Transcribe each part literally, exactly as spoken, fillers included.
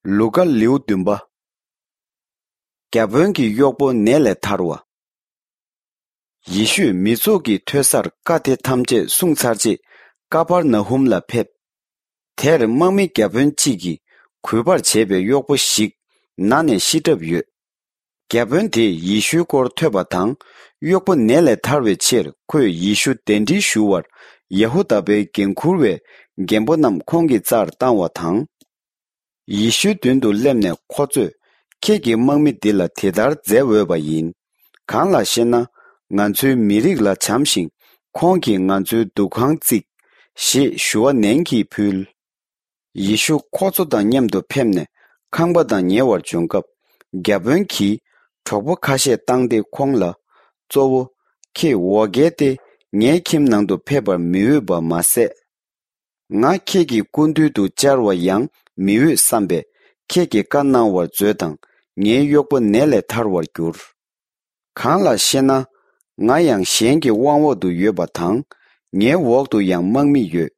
ལུ་ཀ་ལེའུ་བདུན་པ། བརྒྱ་དཔོན་གྱི་གཡོག་པོ་ནད་ལས་ཐར་བ། ཡེ་ཤུས་མི་ཚོགས་ཀྱིས་ཐོས་སར་བཀའ་དེ་ཐམས་ཅད་གསུངས་ཚར་རྗེས་ཀ་པར་ན་ཧུམ་ལ་ཕེབས། དེར་དམག་མི་བརྒྱ་དཔོན་གཅིག་གིས་གུས་པར་བྱེད་པའི་གཡོག་པོ་ཞིག་ན་ནས་ཤི་གྲབས་ཡོད། བརྒྱ་དཔོན་དེས་ཡེ་ཤུའི་སྐོར་ཐོས་པ་དང་། གཡོག་པོ་ནད་ལས་ཐར་བའི་ཕྱིར་ཁོས་ཡེ་ཤུ་གདན་འདྲེན་ཞུ་བར་ཡ་ཧུ་དཱ་པའི་འགན་འཁུར་བའི་རྒན་པོ་རྣམས་ཁོང་གི་རྩར་བཏང་བ་དང་། ཡེ་ཤུའི་མདུན་དུ་སླེབས་ནས་ཁོ་ཚོས། ཁྱེད་ཀྱིས་དམག་མི་འདི་ལ་དེ་ལྟར་མཛད་འོས་པ་ཡིན། གང་ལགས་ཤེ་ན། ང་ཚོའི་མི་རིགས་ལ་བྱམས་ཤིང་། ཁོང་གིས་ང་ཚོའི་འདུ་ཁང་བརྩིགས། ཞེས་ཞུ་བ་ནན་གྱིས་ཕུལ། ཡེ་ཤུ་ཁོ་ཚོ་དང་མཉམ་དུ་ཕེབས་ནས་ཁང་པ་དང་ཉེ་བར་བྱོན་སྐབས། བརྒྱ་དཔོན་གྱིས་གྲོགས་པོ་ཁ་ཤས་བཏང་སྟེ་ཁོང་ལ། གཙོ་བོ། ཁྱེད་འོ་བརྒྱལ་ཏེ་ངའི་ཁྱིམ་ནང་དུ་ཕེབས་པར་མི་འོས་པ་མ་ཟད། ང་ཁྱེད་ཀྱི་སྐུ་མདུན་དུ་བཅར་བ་ཡང་མི་འོས་བསམ་པས་ཁྱེད་ཀྱིས་བཀའ་གནང་བར་མཛོད་དང་ངའི་གཡོག་པོ་ནད་ལས་ཐར་བར་འགྱུར། གང་ལགས་ཤེ་ན། ང་ཡང་གཞན་གྱི་དབང་འོག་ཏུ་ཡོད་པ་དང་། ངའི་འོག་ཏུ་ཡང་དམག་མི་ཡོད།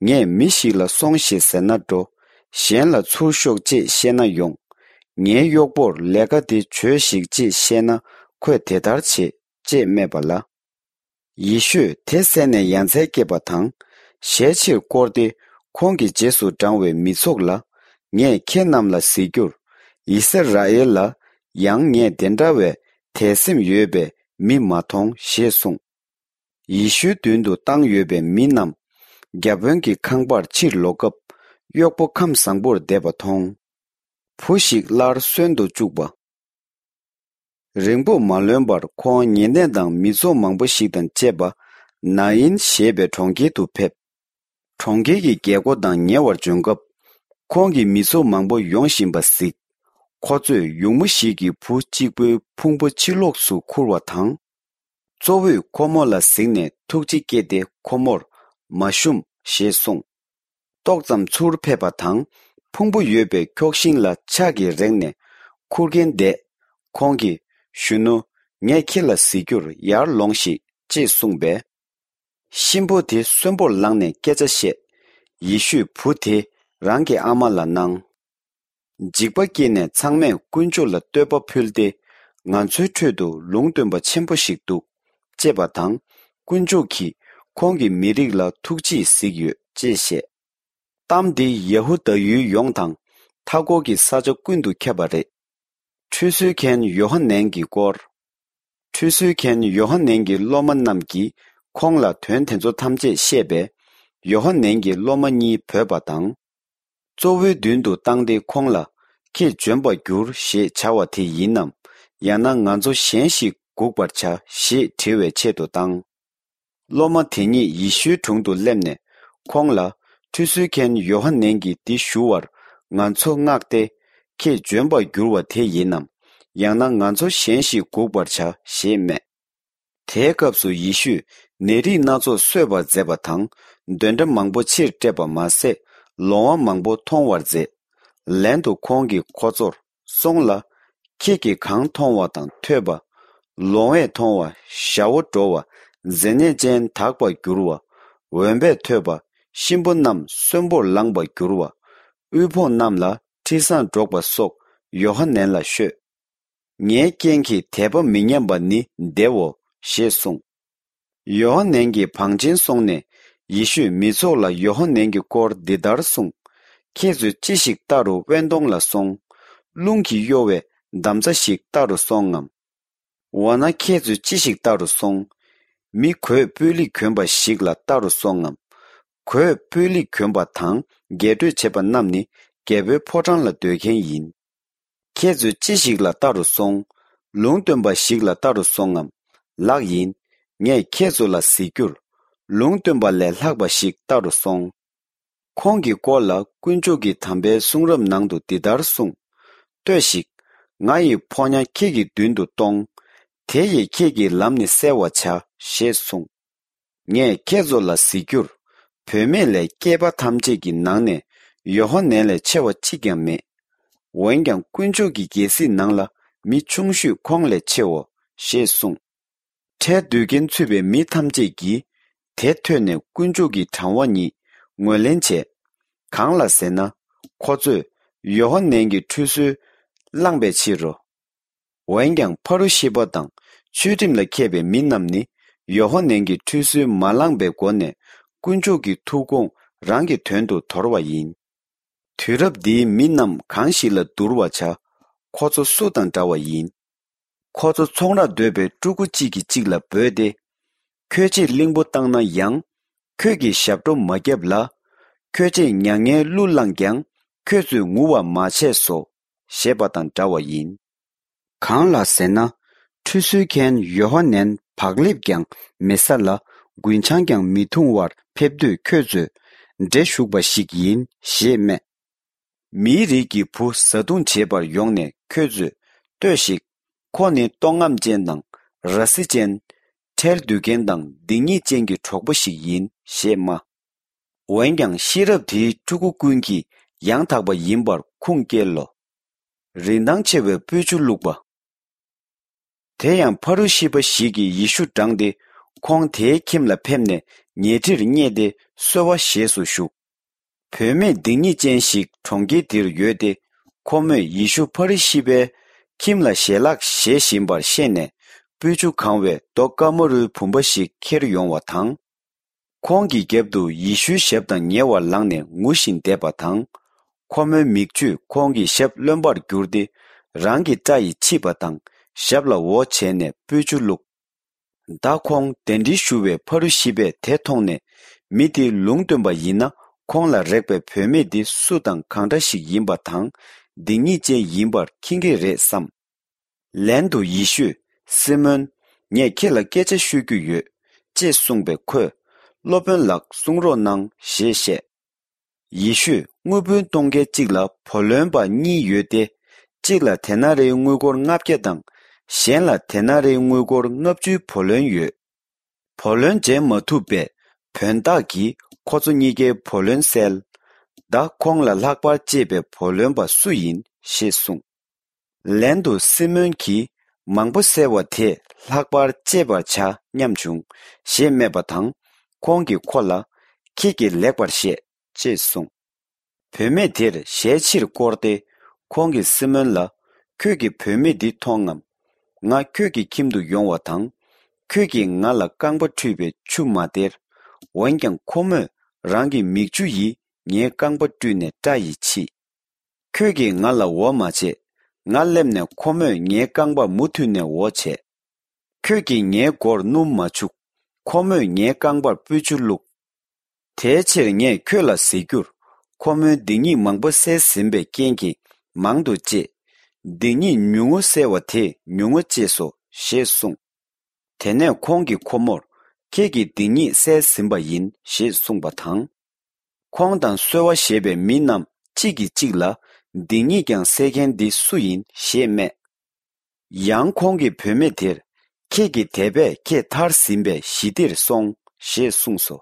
ངས་མི་ཞིག་ལ་སོང་ཞིག་ཟེར་ན་འགྲོ། གཞན་ལ་ཚུར་ཤོག་ཅེས་བཤད་ན་ཡོང་། ངའི་གཡོག་པོར་ལས་ཀ་དེ་བྱོས་ཤིག་ཅེས་བཤད་ན་ཁོས་དེ་ལྟར་བྱེད། ཅེས་སྨྲས་པ་ལ། ཡེ་ཤུས་དེ་གསན་ནས་ཡ་མཚན་སྐྱེས་པ་དང་། ཞལ་ཕྱིར་བསྐོར་ཏེ་ཁོང་གི་རྗེས་སུ་འབྲང་བའི་མི་ཚོགས་ལ། ངས་ཁྱེད་རྣམས་ལ་ཟེར་རྒྱུར། ཡི་སི་ར་ཨེལ་ལ་ཡང་ངས་དེ་འདྲ་བའི་དད་སེམས་ཡོད་པའི་མི་མ་མཐོང་ཞེས་གསུངས། ཡེ་ཤུའི་མདུན་དུ་བཏང་ཡོད་པའི་མི་རྣམས་བརྒྱ་དཔོན་གྱི་ཁང་པར་ཕྱིར་ལོག་སྐབས། གཡོག་པོ་ཁམས་བཟང་པོར་བསྡད་པ་མཐོང་། བུ་ཞིག་སླར་གསོན་དུ་བཅུག་པ། རིང་པོ་མ་ལོན་པར་ཁོང་ཉེ་གནས་དང་མི་ཚོགས་མང་པོ་ཞིག་དང་བཅས་པ་ནཱ་ཨིན་ཞེས་པའི་གྲོང་ཁྱེར་དུ་ཕེབས། གྲོང་ཁྱེར་གྱི་རྒྱལ་སྒོ་དང་ཉེ་བར་བྱོན་སྐབས། ཁོང་གིས་མི་ཚོགས་མང་པོ་ཡོང་བཞིན་པ་གཟིགས། ཁོ་ཚོས་ཡུགས་མོ་ཞིག་གིས་བུ་གཅིག་པུའི་ཕུང་པོ་ཕྱི་ལོགས་སུ་ཁུར་བ་དང་། གཙོ་བོས་ཁོ་མོ་ལ་གཟིགས་ནས་ཐུགས་རྗེ་སྐྱེས་ཏེ་ཁོ་མོར་མ་ཞུམ་ཞེས་གསུངས། ཏོག་ཙམ་ཚུར་ཕེབས་པ་དང་ཕུང་པོ་ཡོད་པའི་ཁྱོགས་ཤིང་ལ་ཕྱག་གིས་རེག་ནས་ཁུར་མཁན་བསྡད། ཁོང་གིས། གཞོན་ནུ། ངས་ཁྱེད་ལ་གཟིགས་རྒྱུར་ཡར་ལོངས་ཤིག་ཅེས་གསུངས་པས། གཤིན་པོ་དེ་གསོན་པོར་ལངས་ནས་སྐད་ཆ་བཤད། ཡེ་ཤུས་བུ་དེ་རང་གི་ཨ་མ་ལ་གནང་། འཇིགས་པ་སྐྱེས་ནས་ཚང་མས་དཀོན་མཆོག་ལ་བསྟོད་པ་ཕུལ་ཏེ། ང་ཚོའི་ཁྲོད་དུ་ལུང་སྟོན་པ་ཆེན་པོ་ཞིག་འདུག་ཅེས་པ་དང་། དཀོན་མཆོག་གིས་ཁོང་གི་མི་རིགས་ལ་ཐུགས་རྗེས་གཟིགས་ཡོད་ཅེས་བཤད། གཏམ་འདི་ཡ་ཧུ་དཱ་ཡུལ་ཡོངས་དང་མཐའ་འཁོར་གྱི་ས་ཆ་ཀུན་ཏུ་ཁྱབ་པ་རེད། ཁྲུས་གསོལ་མཁན་ཡོ་ཧ་ནན་གྱི་སྐོར། ཁྲུས་གསོལ་མཁན་ཡོ་ཧ་ནན་གྱི་སློབ་མ་རྣམས་ཀྱིས་ཁོང་ལ་དོན་དེ་ཚོ་ཐམས་ཅད་བཤད་པས། ཡོ་ཧ་ནན་གྱི་སློབ་མ་གཉིས་བོས་པ་དང་། གཙོ་བོའི་མདུན་དུ་བཏང་སྟེ་ཁོང་ལ། ཁྱེད་འབྱོན་པར་འགྱུར་ཞེས་བྱ་བ་དེ་ཡིན་ནམ། ཡང་ན་ང་ཚོ་གཞན་ཞིག་སྒུག་པར་བྱ་ཞེས་དྲི་བའི་ཆེད་དུ་བཏང་། སློབ་མ་དེ་ཉིད་ཡེ་ཤུའི་དྲུང་དུ་སླེབས་ནས་ཁོང་ལ། ཁྲུས་གསོལ་མཁན་ཡོ་ཧ་ནན་གྱིས་འདི་ཞུ་བར་ང་ཚོ་མངགས་ཏེ། ཁྱེད་འབྱོན་པར་འགྱུར་བ་དེ་ཡིན་ནམ། ཡང་ན་ང་ཚོ་གཞན་ཞིག་སྒུག་པར་བྱ་ཞེས་སྨྲས། དེའི་སྐབས་སུ་ཡེ་ཤུས་ནད་རིགས་སྣ་ཚོགས་གསོས་པར་མཛད་པ་དང་། གདོན་འདྲེ་མང་པོ་ཕྱིར་བསྐྲད་པ་མ་ཟད། ལོང་བ་མང་པོ་མཐོང་བར་མཛད། ལན་དུ་ཁོང་གིས་ཁོ་ཚོར། སོང་ལ། ཁྱེད་ཀྱིས་གང་མཐོང་བ་དང་ཐོས་པ། ལོང་བས་མཐོང་བ། ཞ་བོ་འགྲོ་བ། མཛེ་ནད་ཅན་དག་པར་འགྱུར་བ། འོན་པས་ཐོས་པ། གཤིན་པོ་རྣམས་གསོན་པོར་ལངས་པར་འགྱུར་བ། དབུལ་ཕོངས་རྣམས་ལ་ཁྲི་བཟང་སྒྲོག་པ་སོགས་ཡོ་ཧ་ནན་ལ་ཤོད། ངའི་རྐྱེན་གྱིས་དད་པ་མི་ཉམས་པ་ནི་བདེའོ། ཞེས་གསུངས། ཡོ་ཧ་ནན་གྱིས་བང་ཆེན་སོང་ནས་ཡེ་ཤུས་མི་ཚོགས་ལ་ཡོ་ཧ་ནན་གྱི་སྐོར་འདི་ལྟར་གསུངས། ཁྱེད་ཚོས་ཅི་ཞིག་ལྟ་རུ་དབེན་སྟོང་ལ་སོང་། རླུང་གིས་གཡོ་བའི་འདམ་རྩྭ་ཞིག་ལྟ་རུ་སོང་ངམ། འོ་ན་ཁྱེད་ཚོས་ཅི་ཞིག་ལྟ་རུ་སོང་། མི་གོས་སྤུས་ལེགས་གྱོན་པ་ཞིག་ལ་ལྟ་རུ་སོང་ངམ། གོས་སྤུས་ལེགས་གྱོན་པ་དང་རྒྱས་སྤྲོས་བྱེད་པ་རྣམས་ནི་རྒྱལ་པོའི་ཕོ་བྲང་ལ་སྡོད་མཁན་ཡིན། ཁྱེད་ཚོས་ཅི་ཞིག་ལ་ལྟ་རུ་སོང་། ལུང་སྟོན་པ་ཞིག་ལ་ལྟ་རུ་སོང་ངམ། ལགས་ཡིན། ངས་ཁྱེད་ཚོ་ལ་ཟེར་རྒྱུར། ལུང་སྟོན་པ་ལས་ལྷག་པ་ཞིག་ལྟ་རུ་སོང་། ཁོང་གི་སྐོར་ལ་དཀོན་མཆོག་གི་དམ་པའི་གསུང་རབ་ནང་དུ་འདི་ལྟར་གསུངས། ལྟོས་ཤིག། ང་ཡི་ཕོ་ཉ་ཁྱེད་ཀྱི་མདུན་དུ་གཏོང་། དེ་ཡིས་ཁྱེད་ཀྱི་ལམ་ནི་གསལ་བར་བྱ། ཞེས་གསུངས། ངས་ཁྱེད་ཚོ་ལ་ཟེར་རྒྱུར། བུད་མེད་ལས་སྐྱེས་པ་ཐམས་ཅད་ཀྱི་ནང་ནས་ཡོ་ཧ་ནན་ལས་ཆེ་བ་གཅིག་ཀྱང་མེད། འོན་ཀྱང་དཀོན་མཆོག་གི་རྒྱལ་སྲིད་ནང་ལ་མི་ཆུང་ཤོས་ཁོང་ལས་ཆེའོ། ཞེས་གསུངས། ཁྲལ་བསྡུ་མཁན་ཚུད་པའི་མི་ཐམས་ཅད་ཀྱིས་དེ་ཐོས་ནས་དཀོན་མཆོག་གི་དྲང་བ་ཉིད་ངོས་ལེན་བྱས། གང་ལ་ཟེར་ན། ཁོ་ཚོས་ ཡོ་ཧོ་ནན་གྱི་ཁྲུས་གསོལ་བླངས་པའི་ཕྱིར་རོ། འོན་ཀྱང་ཕ་རུ་ཤི་པ་དང་ཆོས་ཁྲིམས་ལ་མཁས་པའི་མི་རྣམས་ནི་ཡོ་ཧོ་ནན་གྱི་ཁྲུས་གསོལ་མ་བླངས་པའི་སྒོ་ནས་དཀོན་མཆོག་གི་ཐུགས་དགོངས་རང་གི་དོན་དུ་དོར་བ་ཡིན། དུས་རབས་འདིའི་མི་རྣམས་གང་ཞིག་ལ་བསྡུར་བར་བྱ། ཁོ་ཚོ་སུ་དང་འདྲ་བ་ཡིན། ཁོ་ཚོ་ཚོང་རར་སྡོད་པའི་ཕྲུ་གུ་གཅིག་གིས་གཅིག་ལ་འབོད་དེ། ཁྱོད་ཆེས་གླིང་བུ་བཏང་ན་ཡང་། ཁྱོད་ཀྱིས་ཞབས་བྲོ་མ་བརྒྱབ་ལ། ཁྱོད་ཆེས་མྱ་ངན་གླུ་བླངས་ཀྱང་ཁྱོད་ཚོས་ངུ་བ་མ་བྱས་སོ། ཞེས་པ་དང་འདྲ་བ་ཡིན། གང་ལགས་ཟེར་ན། ཁྲུས་གསོལ་མཁན་ཡོ་ཧ་ནན་བག་ལེབ་ཀྱང་མི་ཟ་ལ་རྒུན་ཆང་ཀྱང་མི་འཐུང་བར་ཕེབས་དུས་ཁྱོད་ཚོས་འདྲེ་ཞུགས་པ་ཞིག་ཡིན་ཞེས་སྨྲས། མིའི་རིགས་ཀྱི་བུ་བཟའ་བཏུང་བྱེད་པར་ཡོང་ནས་ཁྱོད་ཚོས་ལྟོས་ཤིག་ཁོ་ནི་ལྟོགས་རྔམ་ཅན་དང་ར་བཟི་ཅན། ཁྲལ་བསྡུ་མཁན་དང་སྡིག་ཉེས་ཅན་གྱི་གྲོགས་པོ་ཞིག་ཡིན་ཞེས་སྨྲ། འོན་ཀྱང་ཤེས་རབ་དེའི་ཕྲུ་གུ་ཀུན་གྱིས་ཡང་དག་པ་ཡིན་པར་ཁུངས་སྐྱེལ་ལོ། རིན་ཐང་ཆེ་བའི་སྤོས་ཆུ་བླུགས་པ། དེ་ཡང་ཕ་རུ་ཤི་པ་ཞིག་གིས་ཡེ་ཤུ་འབྲངས་ཏེ་ཁོང་དེའི་ཁྱིམ་ལ་ཕེབས་ནས་ཉལ་ཁྲིར་བསྙེས་ཏེ་གསོལ་བ་བཞེས་སུ་བཞུགས། བུད་མེད་སྡིག་ཉེས་ཅན་ཞིག་གྲོང་ཁྱེར་དེར་ཡོད་དེ། ཁོ་མོས་ཡེ་ཤུ་ཕ་རི་ཤི་པའི་ཁྱིམ་ལ་ཞལ་ལག་བཞེས་བཞིན་པར་ཤེས་ནས་སྤོས་ཆུ་གང་བའི་རྡོ་དཀར་མོ་རུའི་བུམ་པ་ཞིག་ཁྱེར་ཡོང་བ་དང་། ཁོང་གི་རྒྱབ་ཏུ་ཡེ་ཤུའི་ཞབས་དང་ཉེ་བར་ལངས་ནས་ངུ་བཞིན་བསྡད་པ་དང་། ཁོ་མོའི་མིག་ཆུས་ཁོང་གི་ཞབས་རློན་པར་གྱུར་ཏེ། རང་གི་སྐྲ་ཡིས་ཕྱིས་པ་དང་ཞབས་ལ་འོ་བྱས་ནས་སྤོས་ཆུ་བླུགས། ད་ཁོང་གདན་འདྲེན་ཞུ་བའི་ཕ་རུ་ཤི་པས་དེ་མཐོང་ནས། མི་དེ་ལུང་སྟོན་པ་ཡིན་ན་ཁོང་ལ་རེག་པའི་བུད་མེད་འདི་སུ་དང་གང་འདྲ་ཞིག་ཡིན་པ་དང་སྡིག་ཉེས་ཅན་ཡིན་པར་མཁྱེན་གྱི་རེད་བསམ། ལན་དུ་ཡེ་ཤུས། སི་མོན། ངས་ཁྱེད་ལ་སྐད་ཆ་ཤོད་རྒྱུ་ཡོད། ཅེས་གསུངས་པས་ཁོས། སློབ་དཔོན་ལགས་གསུང་རོགས་གནང་ཞེས་བཤད། ཡེ་ཤུས་དངུལ་བུན་གཏོང་མཁན་གཅིག་ལ་བུ་ལོན་པ་གཉིས་ཡོད་དེ། གཅིག་ལ་དེ་ན་རེའི་དངུལ་སྒོར་ལྔ་བརྒྱ་དང་། གཞན་ལ་དེ་ན་རེའི་དངུལ་སྒོར་ལྔ་བཅུའི་བུ་ལོན་ཡོད། བུ་ལོན་འཇལ་མ་ཐུབ་པས་བུན་བདག་གིས་ཁོ་ཚོ་གཉིས་ཀའི་བུ་ལོན་བསལ། ད་ཁོང་ལ་ལྷག་པར་གཅེས་པའི་བུ་ལོན་པ་སུ་ཡིན་ཞེས་གསུངས། ལན་དུ་སི་མོན་གྱིས། མང་པོ་བསལ་བ་དེས་ལྷག་པར་གཅེས་པར་བྱ་སྙམ་བྱུང་། ཞེས་སྨྲས་པ་དང་། ཁོང་གིས་ཁོ་ལ། ཁྱེད་ཀྱིས་ལེགས་པར་བཤད། ཅེས་གསུངས། བུད་མེད་དེར་ཞལ་ཕྱིར་བསྐོར་ཏེ། ཁོང་གིས་སི་མོན་ལ། ཁྱོད་ཀྱིས་བུད་མེད་འདི་མཐོང་ངམ། ང་ཁྱོད་ཀྱི་ཁྱིམ་དུ་ཡོང་བ་དང་། ཁྱོད་ཀྱིས་ང་ལ་རྐང་པ་བཀྲུས་པའི་ཆུ་མ་སྟེར། འོན་ཀྱང་ཁོ་མོས་རང་གི་མིག་ཆུ་ཡིས་ངའི་རྐང་པ་བཀྲུས་ནས་སྐྲ་ཡིས་ཕྱིས། ཁྱོད་ཀྱིས་ང་ལ་འོ་མ་བྱེད། ང་སླེབས་ནས་ཁོ་མོས་ངའི་རྐང་པར་མུ་མཐུད་ནས་འོ་བྱས། ཁྱོད་ཀྱིས་ངའི་མགོར་སྣུམ་མ་བྱུགས། ཁོ་མོས་ངའི་རྐང་པར་སྤོས་ཆུ་བླུགས། དེའི་ཕྱིར་ངས་ཁྱོད་ལ་ཟེར་རྒྱུར། ཁོ་མོའི་སྡིག་ཉེས་མང་པོ་བསལ་ཟིན་པའི་རྐྱེན་གྱིས་མང་དུ་གཅེས། སྡིག་ཉེས་ཉུང་ངུ་བསལ་བ་དེས་ཉུང་ངུ་གཅེས་སོ། ཞེས་གསུངས། དེ་ནས་ཁོང་གིས་ཁོ་མོར། ཁྱེད་ཀྱི་སྡིག་ཉེས་བསལ་ཟིན་པ་ཡིན། ཞེས་གསུངས་པ་དང་། ཁོང་དང་གསོལ་བ་བཞེས་པའི་མི་རྣམས་གཅིག་གིས་གཅིག་ལ། སྡིག་ཉེས་ཀྱང་སེལ་མཁན་འདི་སུ་ཡིན། ཞེས་སྨྲས། ཡང་ཁོང་གིས་བུད་མེད་དེར། ཁྱེད་ཀྱི་དད་པས་ཁྱེད་ཐར་ཟིན་པས་ཞི་བདེར་སོང་། ཞེས་གསུངས་སོ།